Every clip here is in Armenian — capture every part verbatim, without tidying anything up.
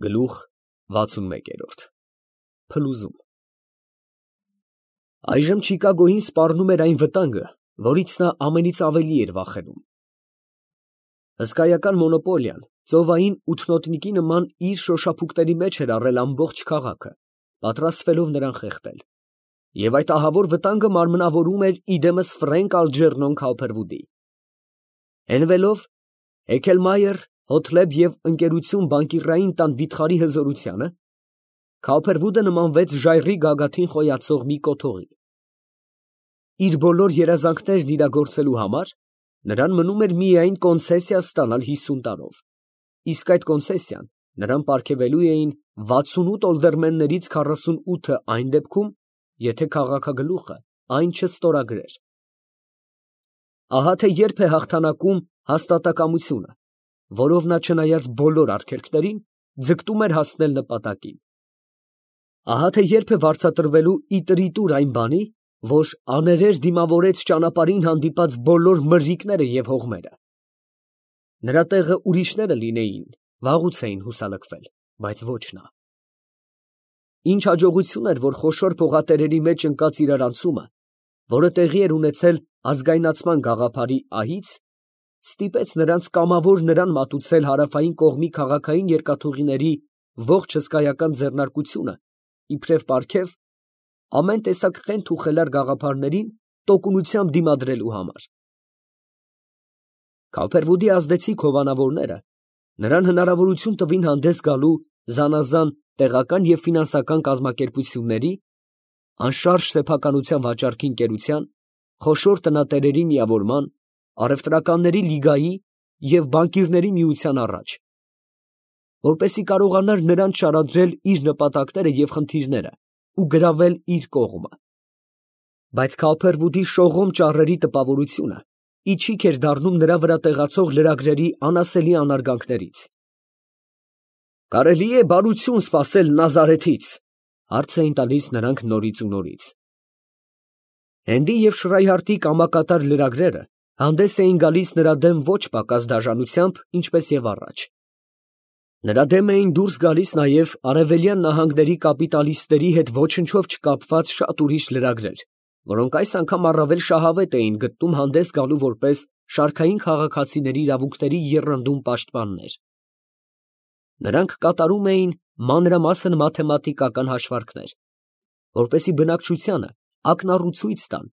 Գլուխ վաթսունմեկերորդ Փլուզում Այժմ Չիկագոյին սպառնում էր այն վտանգը, որից նա ամենից ավելի էր վախենում։ Հսկայական մոնոպոլիան ծովային ութնոտնիկի նման իր շոշափուկների մեջ էր առել ամբողջ քաղաքը, պատրաստվելով նրան խեղդել, և այդ ահավոր վտանգը մարմնավորում էր իդեմս Ֆրենկ Ալջերնոն Քոուփերվուդի։ Հենվելով Էգելմայեր, Հոթլեբ և ընկերություն բանկիրային տան վիթխարի հզորությանը, Քոուփերվուդը նմանվեց ժայռի գագաթին խոյացող մի կոթողի։ Իր բոլոր երազանքներն իրագործելու համար նրան մնում էր միայն կոնցեսիա ստանալ հիսուն տարով, իսկ այդ կոնցեսիան նրան պարգևելու էին վաթսունութ օլդերմեններից քառասունութը այն դեպքում, եթե քաղաքագլուխը այն չստորագրեր։ Ահա թե երբ է հաղթանակում հաստատակամությունը, որով նա չնայած բոլոր արգելքներին, ձգտում էր հասնել նպատակին։ Ահա թե երբ է վարձատրվելու ի տրիտուր այն բանի, որ աներեր դիմավորեց ճանապարհին հանդիպած բոլոր մրրիկները և հողմերը։ Նրա տեղը ուրիշները լինեին, վաղուց էին հուսալքվել, բայց ոչ նա։ Ինչ հաջողություն էր, որ խոշոր փողատերերի մեջ ընկած իրարանցումը, որը տեղի էր ունեցել ազգայնացման գաղափարի ահից, ստիպեց նրանց կամավոր նրան մատուցել հարավային կողմի քաղաքային երկաթուղիների ողջ հսկայական ձեռնարկությունը, իբրև պարգև, ամեն տեսակ խենթ ու խելառ գաղափարներին տոկունությամբ դիմադրելու համար։ Քոուփերվուդի ազդեցիկ հովանավորները նրան հնարավորություն տվին հանդես գալու զանազան տեղական և ֆինանսական կազմակերպությունների, անշարժ սեփականության վաճառքի ընկերության, խոշոր տնատերերի միավորման, առևտրականների լիգայի և բանկիրների միության առաջ, որպեսզի կարողանար նրանց շարադրել իր նպատակները և խնդիրները ու գրավել իր կողմը։ Բայց Քոուփերվուդի շողոմ ճառերի տպավորությունը իչիք էր դառնում նրա վրա տեղացող լրագրերի անասելի անարգանքներից։ «Կարելի է բարություն սպասել Նազարեթից», ֊ հարց էին տալիս նրանք նորից ու նորից։ Հենդի և Շրայհարտի կամակատար լրագրերը հանդես էին գալիս նրա դեմ ոչ պակաս դաժանությամբ, ինչպես և առաջ։ Նրա դեմ էին դուրս գալիս նաև արևելյան նահանգների կապիտալիստների հետ ոչնչով չկապված շատ ուրիշ լրագրեր, որոնք այս անգամ առավել շահավետ էին գտնում հանդես գալու որպես շարքային քաղաքացիների իրավունքների եռանդուն պաշտպաններ։ Նրանք կատարում էին մանրամասն մաթեմատիկական հաշվարկներ, որպեսզի բնակչությանը ակնառու ցույց տան,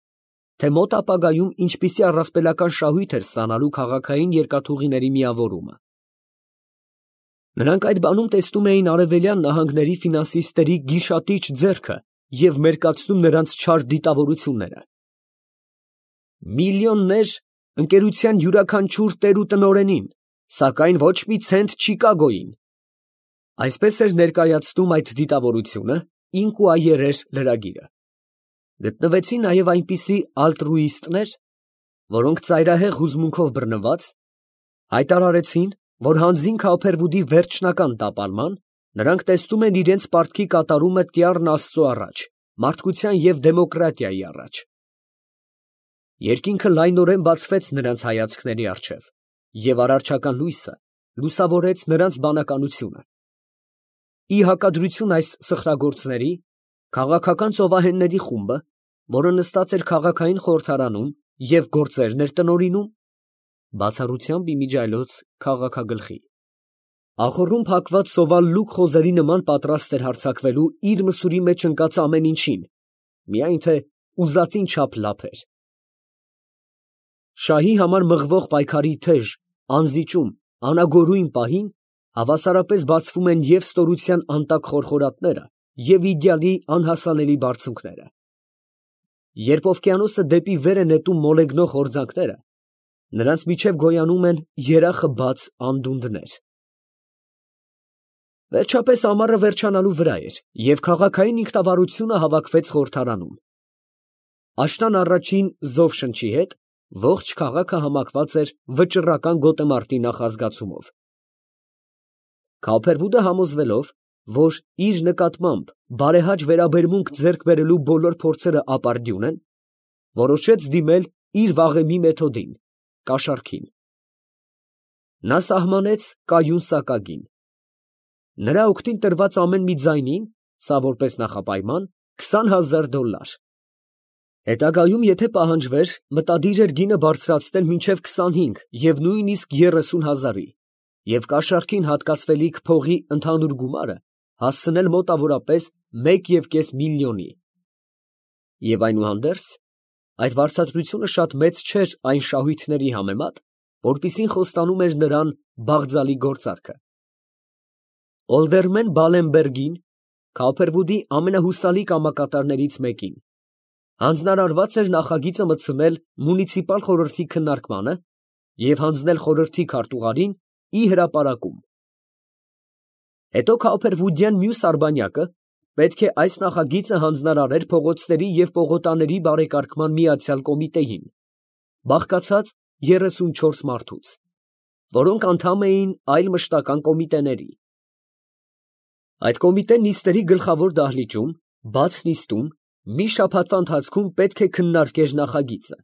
թե մոտ ապագայում ինչպիսի առասպելական շահույթ էր ստանալու քաղաքային երկաթուղիների միավորումը։ Նրանք այդ բանում տեսնում էին արևելյան նահանգների ֆինանսիստերի գիշատիչ ձեռքը և մերկացնում նրանց չար դիտավորությունները։ Միլիոններ ընկերության յուրաքանչյուր տեր ու տնօրենին, սակայն ոչ մի ցենտ Չիկագոյին։ Այսպես էր ներկայացնում այդ դիտավորությունը Ինկուայերեր լրագիրը։ Գտնվեցին նաև այնպիսի ալտրուիստներ, որոնք ծայրահեղ հուզմունքով բռնված, հայտարարեցին, որ հանձին Քոուփերվուդի վերջնական տապալման, նրանք տեսնում են իրենց պարտքի կատարումը տյառն Աստծու առաջ, մարդկության և դեմոկրատիայի առաջ։ Երկինքը լայնորեն բացվեց նրանց հայացքների առջև, և արարչական լույսը լուսավորեց նրանց բանականությունը։ Ի հակադրություն այս սխրագործների, քաղաքական ծովահենների խումբը, որը նստած էր քաղաքային խորհրդարանում և գործերն էր տնօրինում, բացառությամբ իմիջիայլոց քաղաքագլխի, ախոռում փակված սովալ լուկ խոզերի նման պատրաստ էր հարձակվելու իր մսուրի մեջ ընկած ամեն ինչին, միայն թե ուզածին չափ լափեր։ Շահի համար մղվող պայքարի թեժ, անզիջում, անագորույն պահին հավասարապես բացվում են և ստորության անտակ խորխորատները, և իդեալի անհասանելի բարձունքները։ Երբ օվկիանոսը դեպի վեր է նետում մոլեգնող հորձանքները, նրանց միջև գոյանում են երախը բաց անդունդներ։ Վերջապես ամառը վերջանալու վրա էր, և քաղաքային ինքնավարությունը հավաքվեց խորհրդարանում։ Աշնան առաջին զովշնչի հետ ողջ քաղաքը համակված էր վճռական գոտեմարտի նախազգացումով։ Քոուփերվուդը համոզվելով, որ իր նկատմամբ բարեհաճ վերաբերմունք ձեռք բերելու բոլոր փորձերը ապարդյուն են, որոշեց դիմել իր վաղեմի մեթոդին՝ կաշառքին։ Նա սահմանեց կայուն սակագին։ Նրա օգտին տրված ամեն մի ձայնին, սա որպես նախապայման, քսան հազար դոլլար։ Հետագայում, եթե պահանջվեր, մտադիր էր գինը բարձրացնել մինչև քսանհինգ և նույնիսկ երեսուն հազարի և կաշառքին հատկացվելիք փողի ընդհանուր գումարը հասցնել մոտավորապես մեկ և կես միլիոնի։ Եվ այնուհանդերձ, այդ վարձատրությունը շատ մեծ չէր այն շահույթների համեմատ, որպիսին խոստանում էր նրան Բաղձալի գործարքը։ Ոլդերմեն Բալենբերգին, Քոփերվուդի ամենահուսալի կամակատարներից մեկին, հանձնարարված էր նախագիծը մտցնել մունիցիպալ խորհրդի քննարկմանը և հանձնել խորհրդի քարտուղարին ի հրապարակում։ Հետո Քոփերվուդյան մյուս արբանյակը պետք է այս նախագիծը հանձնարարեր փողոցների և պողոտաների բարեկարգման միացյալ կոմիտեին, բաղկացած երեսունչորս մարդուց, որոնք անդամ էին այլ մշտական կոմիտեների։ Այդ կոմիտեն նիստերի գլխավոր դահլիճում, բաց նիստում, մի շաբաթվա ընթացքում պետք է քննարկեր նախագիծը։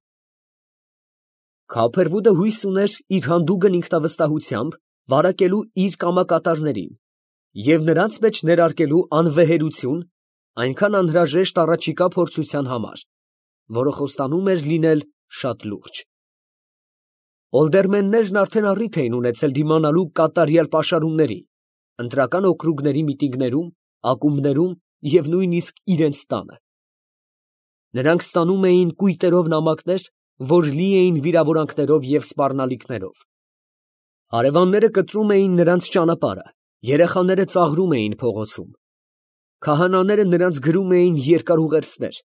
Քոփերվուդը հույս ուներ իր հանդուգն ինքնավստահությամբ վարակելու իր կամակատարներին և նրանց մեջ ներարկելու անվեհերություն այնքան անհրաժեշտ առաջիկա փորձության համար, որը խոստանում էր լինել շատ լուրջ։ Ոլդերմեններն արդեն առիթ էին ունեցել դիմանալու կատարյալ պաշարումների, ընտրական օկրուգների միտինգներում, ակումբներում և նույնիսկ իրենց տանը։ Նրանք ստանում էին կույտերով նամակներ, որ լի էին վիրավորանքներով և սպառնալիքներով։ Հարևանները կտրում էին նրանց ճանապարհը, երեխաները ծաղրում էին փողոցում։ Քահանաները նրանց գրում էին երկար ուղերձներ,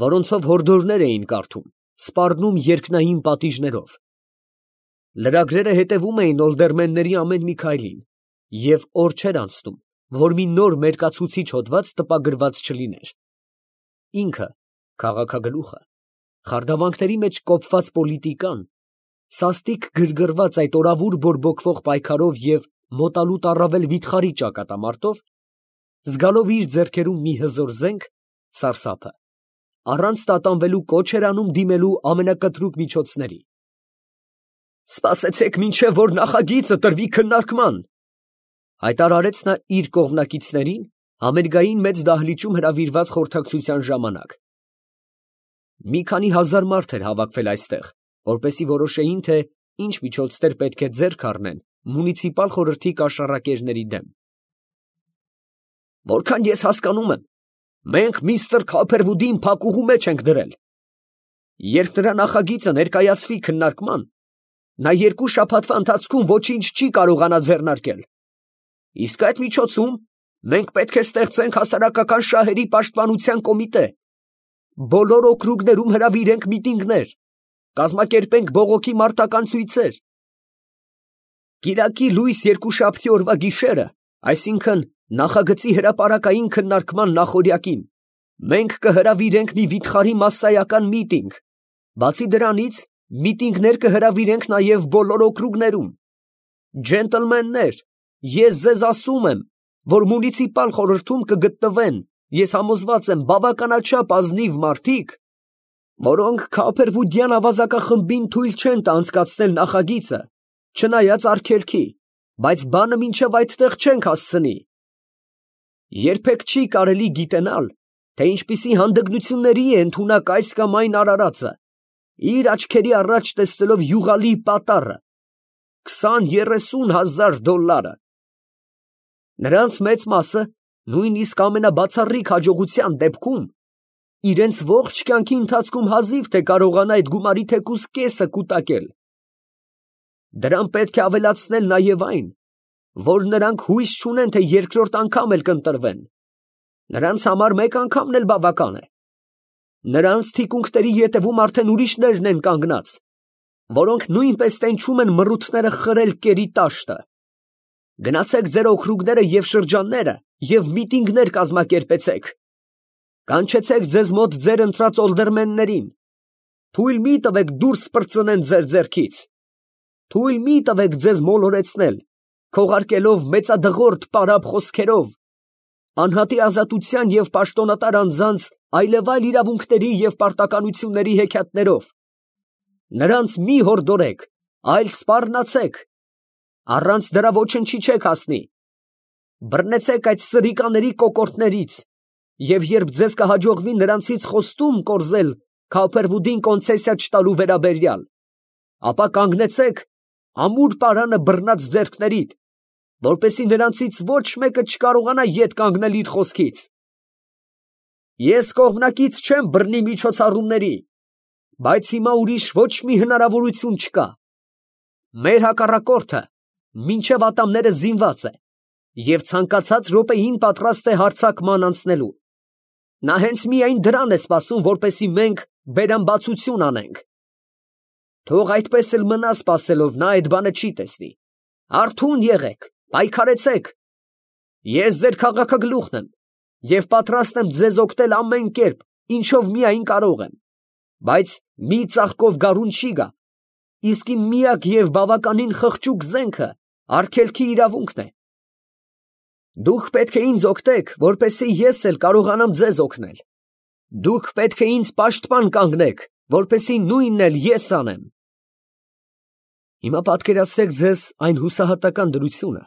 որոնցով հորդորներ էին կարդում, սպառնում երկնային պատիժներով։ Լրագրերը հետևում էին ոլդերմենների ամեն մի քայլին, և օր չէր անցնում, որ մի նոր մերկացուցիչ հոդված տպագրված չլիներ։ Ինքը, քաղաքագլուխը, խարդավանքների մեջ կոփված պոլիտիկան, սաստիկ գրգռված այդ օրավուր բորբոքվող պայքարով և մոտալուտ առավել վիթխարի ճակատամարտով, զգալով իր ձեռքերում մի հզոր զենք, սարսափը, առանց տատանվելու կոչ էր անում դիմելու ամենակտրուկ միջոցների։ «Սպասեցեք, մինչև որ նախագիծը տրվի քննարկման», հայտարարեց նա իր կողմնակիցներին համերգային մեծ դահլիճում հրավիրված խորհրդակցության ժամանակ։ Մի քանի հազար մարդ էր հավաքվել այստեղ, որպեսզի որոշեին, թե ինչ միջոցներ պետք է ձեռք առնեն մունիցիպալ խորհրդի կաշառակերների դեմ։ «Որքան ես հասկանում եմ, մենք միստր Քոփերվուդին փակուղու մեջ ենք դրել։ Երբ նրա նախագիծը ներկայացվի քննարկման, նա երկու շաբաթվա ընթացքում ոչինչ չի կարողանա ձեռնարկել։ Իսկ այդ միջոցում մենք պետք է ստեղծենք հասարակական շահերի պաշտպանության կոմիտե, բոլոր օկրուգներում հրավիրենք միտինգներ, կազմակերպենք բողոքի մարտական ցույցեր։ Կիրակի լույս երկուշաբթի օրվա գիշերը, այսինքն նախագծի հրապարակային քննարկման նախօրյակին, մենք կհրավիրենք մի վիթխարի մասսայական միտինգ, բացի դրանից միտինգներ կհրավիրենք նաև բոլոր օկրուգներում։ Ջենտլմեններ, ես ձեզ ասում եմ, որ մունիցիպալ խորհրդում կգտնվեն, ես համոզված եմ, բավականաչափ ազնիվ մարդիկ, որոնք Քոփերվուդյան ավազակախմբին թույլ չեն տա անցկացնել նախագիծը, չնայած արգելքի, բայց բանը մինչև այդտեղ չենք հասցնի։ Երբեք չի կարելի գիտենալ, թե ինչպիսի հանդգնությունների է ընդունակ այս կամ այն արարածը, իր աչքերի առաջ տեսնելով յուղալի պատառը, քսան երեսուն հազար դոլլարը։ Նրանց մեծ մասը, նույնիսկ ամենաբացառիկ հաջողության դեպքում, իրենց ողջ կյանքի ընթացքում հազիվ թե կարողանա այդ գումարի թեկուզ կեսը կուտակել։ Դրան պետք է ավելացնել նաև այն, որ նրանք հույս չունեն, թե երկրորդ անգամ էլ կընտրվեն։ Նրանց համար մեկ անգամն էլ բավական է։ Նրանց թիկունքների ետևում արդեն ուրիշներն են կանգնած, որոնք նույնպես տենչում են մռութները խրել կերի տաշտը։ Գնացեք ձեր օկրուգները և շրջանները և միտինգներ կազմակերպեցեք։ Կանչեցեք ձեզ մոտ ձեր ընտրած ոլդերմեններին։ Թույլ մի տվեք դուրս պրծնեն ձեր ձեռքից։ Թույլ մի տվեք ձեզ մոլորեցնել, քողարկելով մեծադղորդ պարապ խոսքերով, անհատի ազատության և պաշտոնատար անձանց այլևայլ իրավունքների և պարտականությունների հեքիաթներով։ Նրանց մի հորդորեք, այլ սպառնացեք, առանց դրա ոչնչի չեք հասնի։ բռնեցեք այդ սրիկաների կոկորդներից, և երբ ձեզ կհաջողվի նրանցից խոստում կորզել Քավփերվուդին կոնցեսիա չտալու վերաբերյալ, ապա կանգնեցեք ամուր պարանը բռնած ձեռքներիդ, որպեսզի նրանցից ոչ մեկը չկարողանա ետ կանգնել իր խոսքից։ Ես կողմնակից չեմ բռնի միջոցառումների, բայց հիմա ուրիշ ոչ մի հնարավորություն չկա։ Մեր հակառակորդը մինչև ատամները զինված է և ցանկացած րոպեին պատրաստ է հարձակման անցնելու։ Նա հենց միայն դրան է սպասում, որպեսզի մենք բերամբացություն անենք։ Թող այդպես էլ մնա սպասելով, նա այդ բանը չի տեսնի։ Արթուն եղեք, պայքարեցեք։ Ես ձեր քաղաքագլուխն եմ և պատրաստ եմ ձեզ օգնել ամեն կերպ, ինչով միայն կարող եմ, բայց մի ծաղկով գարուն չի գա, իսկ իմ միակ և բավականին խղճուկ զենքը արգելքի իրավունքն է։ Դուք պետք է ինձ օգնեք, որպեսզի ես էլ կարողանամ ձեզ օգնել։ Դուք պետք է ինձ պաշտպան կանգնեք, որպեսզի նույնն էլ ես անեմ։ Հիմա պատկերացրեք ձեզ այն հուսահատական դրությունը,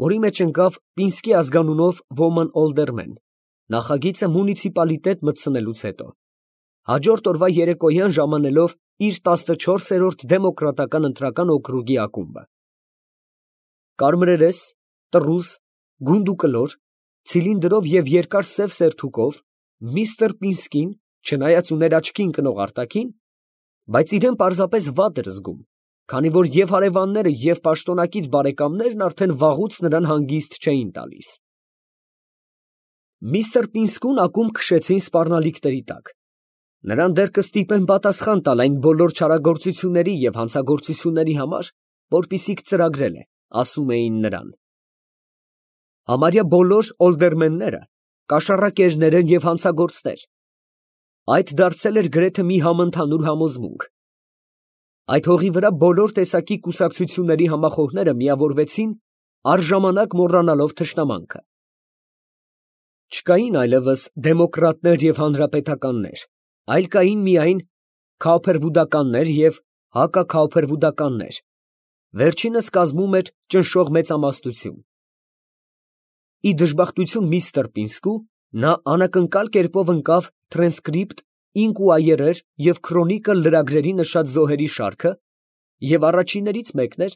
որի մեջ ընկավ Պինսկի ազգանունով ոման օլդերմեն, նախագիծը մունիցիպալիտետ մտցնելուց հետո, հաջորդ օրվա երեկոյան ժամանելով իր տասնչորսերորդ դեմոկրատական ընտրական օկրուգի ակումբը։ Կարմրերես, տռուզ, գունդուկլոր, ցիլինդրով և երկար սև սերթուկով միստր Պինսկին, չնայած ուներ աչքի ընկնող արտաքին, բայց իրան պարզապես վատ էր զգում, քանի որ և հարևանները, և պաշտոնակից բարեկամներն արդեն վաղուց նրան հանգիստ չէին տալիս։ Միստր Պինսկուն ակումբ քշեցին սպառնալիքների տակ։ Նրան դեռ կստիպեն պատասխան տալ այն բոլոր չարագործությունների և հանցագործությունների համար, որպիսիք ծրագրել է, ասում էին նրան։ Համարյա բոլոր օլդերմենները կաշառակերներ են և հանցագործներ։ Այդ դարձել էր գրեթե մի համընդհանուր համոզմունք։ Այդ հողի վրա բոլոր տեսակի կուսակցությունների համախոհները միավորվեցին, առժամանակ մոռանալով թշնամանքը։ Չկային այլևս դեմոկրատներ և հանրապետականներ, այլ կային միայն քավփերվուդականներ և հակաքավփերվուդականներ, վերջինս կազմում էր ճնշող մեծամասնություն։ Ի դժբախտություն միստր Պինսկու, նա անակնկալ կերպով ընկավ տրանսկրիպտ, ինկուայերեր և քրոնիկլ լրագրերի նշած զոհերի շարքը և առաջիններից մեկն էր,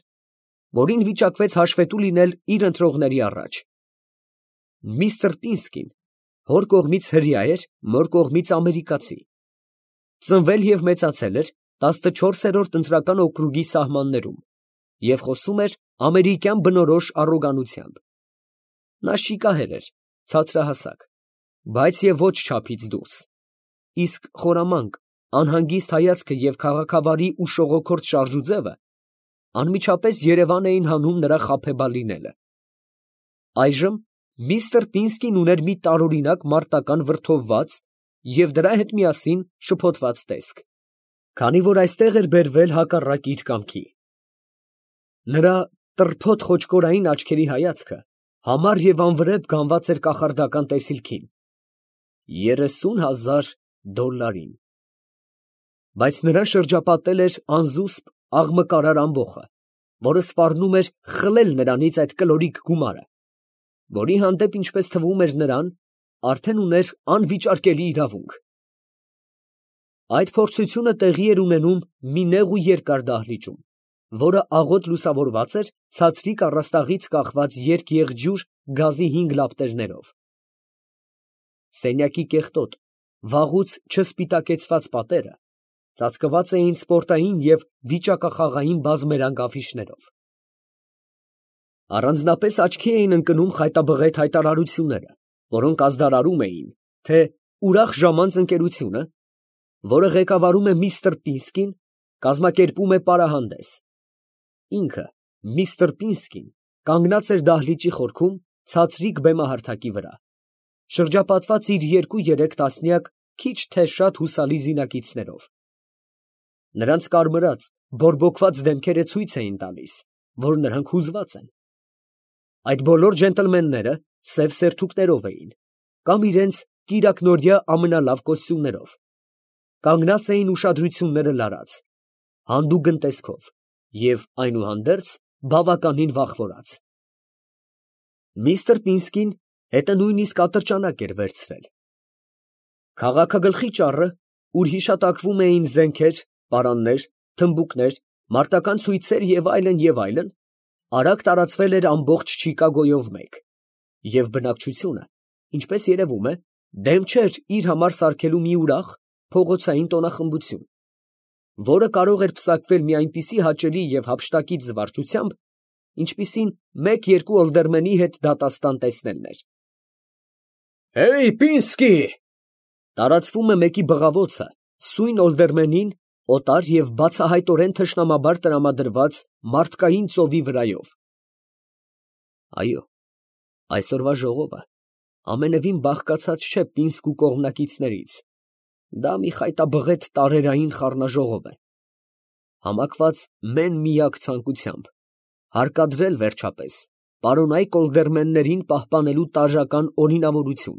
որին վիճակվեց հաշվետու լինել իր ընտրողների առաջ։ Միստր Պինսկին հոր կողմից հրեա էր, մոր կողմից ամերիկացի։ Ծնվել և մեծացել էր տասնչորսերորդ ընտրական օկրուգի սահմաններում և խոսում էր ամերիկյան բնորոշ առոգանությամբ։ Նա շիկահեր էր, ցածրահասակ, բայց և ոչ չափից դուրս, իսկ խորամանկ, անհանգիստ հայացքը և քաղաքավարի ու շողոքորթ շարժուձևը անմիջապես երևան էին հանում նրա խաբեբա լինելը։ Այժմ միստր Պինսկին ուներ մի տարօրինակ մարտական վրդովված և դրա հետ միասին շփոթված տեսք, քանի որ այստեղ էր բերվել հակառակ իր կամքի։ Նրա տրփոթ խոճկորային աչքերի հայացքը համառ և անվրեպ գանված էր կախարդական տեսիլքին՝ երեսուն հազար դոլլարին։ Բայց նրան շրջապատել էր անզուսպ աղմկարար ամբոխը, որը սպառնում էր խլել նրանից այդ կլորիկ գումարը, որի հանդեպ, ինչպես թվում էր նրան, արդեն ուներ անվիճարկելի իրավունք։ Այդ փորձությունը տեղի էր ունենում մի նեղ ու երկար դահլիճում, որը աղոտ լուսավորված էր ցածրիկ առաստաղից կախված երկեղջյուր գազի հինգ լապտերներով։ Սենյակի կեղտոտ, վաղուց չսպիտակեցված պատերը ծածկված էին սպորտային և վիճակախաղային բազմերանգ աֆիշներով։ Առանձնապես աչքի էին ընկնում խայտաբղետ հայտարարությունները, որոնք ազդարարում էին, թե «Ուրախ ժամանց» ընկերությունը, որը ղեկավարում է միստր Պինսկին, կազմակերպում է պարահանդես։ Ինքը, միստր Պինսկին, կանգնած էր դահլիճի խորքում ցածրիկ բեմահարթակի վրա, շրջապատված իր երկու֊երեք տասնյակ քիչ թե շատ հուսալի զինակիցներով։ Նրանց կարմրած, բորբոքված դեմքերը ցույց էին տալիս, որ նրանք հուզված են։ Այդ բոլոր ջենտլմենները սև սերթուկներով էին, կամ իրենց կիրակնօրյա ամենալավ կոստյումներով, կանգնած էին ուշադրությունները լարած, հանդուգն տեսքով և, այնուհանդերձ, բավականին վախվորած։ Միստր Պինսկին հետը նույնիսկ ատրճանակ էր վերցրել։ Քաղաքագլխի ճառը, ուր հիշատակվում էին զենքեր, պարաններ, թմբուկներ, մարտական ցույցեր և այլն, և այլն, արագ տարածվել էր ամբողջ Չիկագոյով մեկ, և բնակչությունը, ինչպես երևում է, դեմ չէր իր համար սարքելու մի ուրախ, փողոցային տոնախմբություն, որը կարող էր պսակվել մի այնպիսի հաճելի և հափշտակից զվարճությամբ, ինչպիսին մեկ֊երկու օլդերմենի հետ դատաստան տեսնելն էր։ «Հեյ, Պինսկի» տարածվում է մեկի բղավոցը սույն օլդերմենին օտար և բացահայտորեն թշնամաբար տրամադրված մարդկային ծովի վրայով։ Այո, այսօրվա ժողովը ամենևին բաղկացած չէ Պինսկու կողմնակիցներից, դա մի խայտաբղետ տարերային խառնաժողով է, համակված մեն֊միակ ցանկությամբ, հարկադրել, վերջապես, պարոնայք օլդերմեններին պահպանելու տարրական օրինավորություն,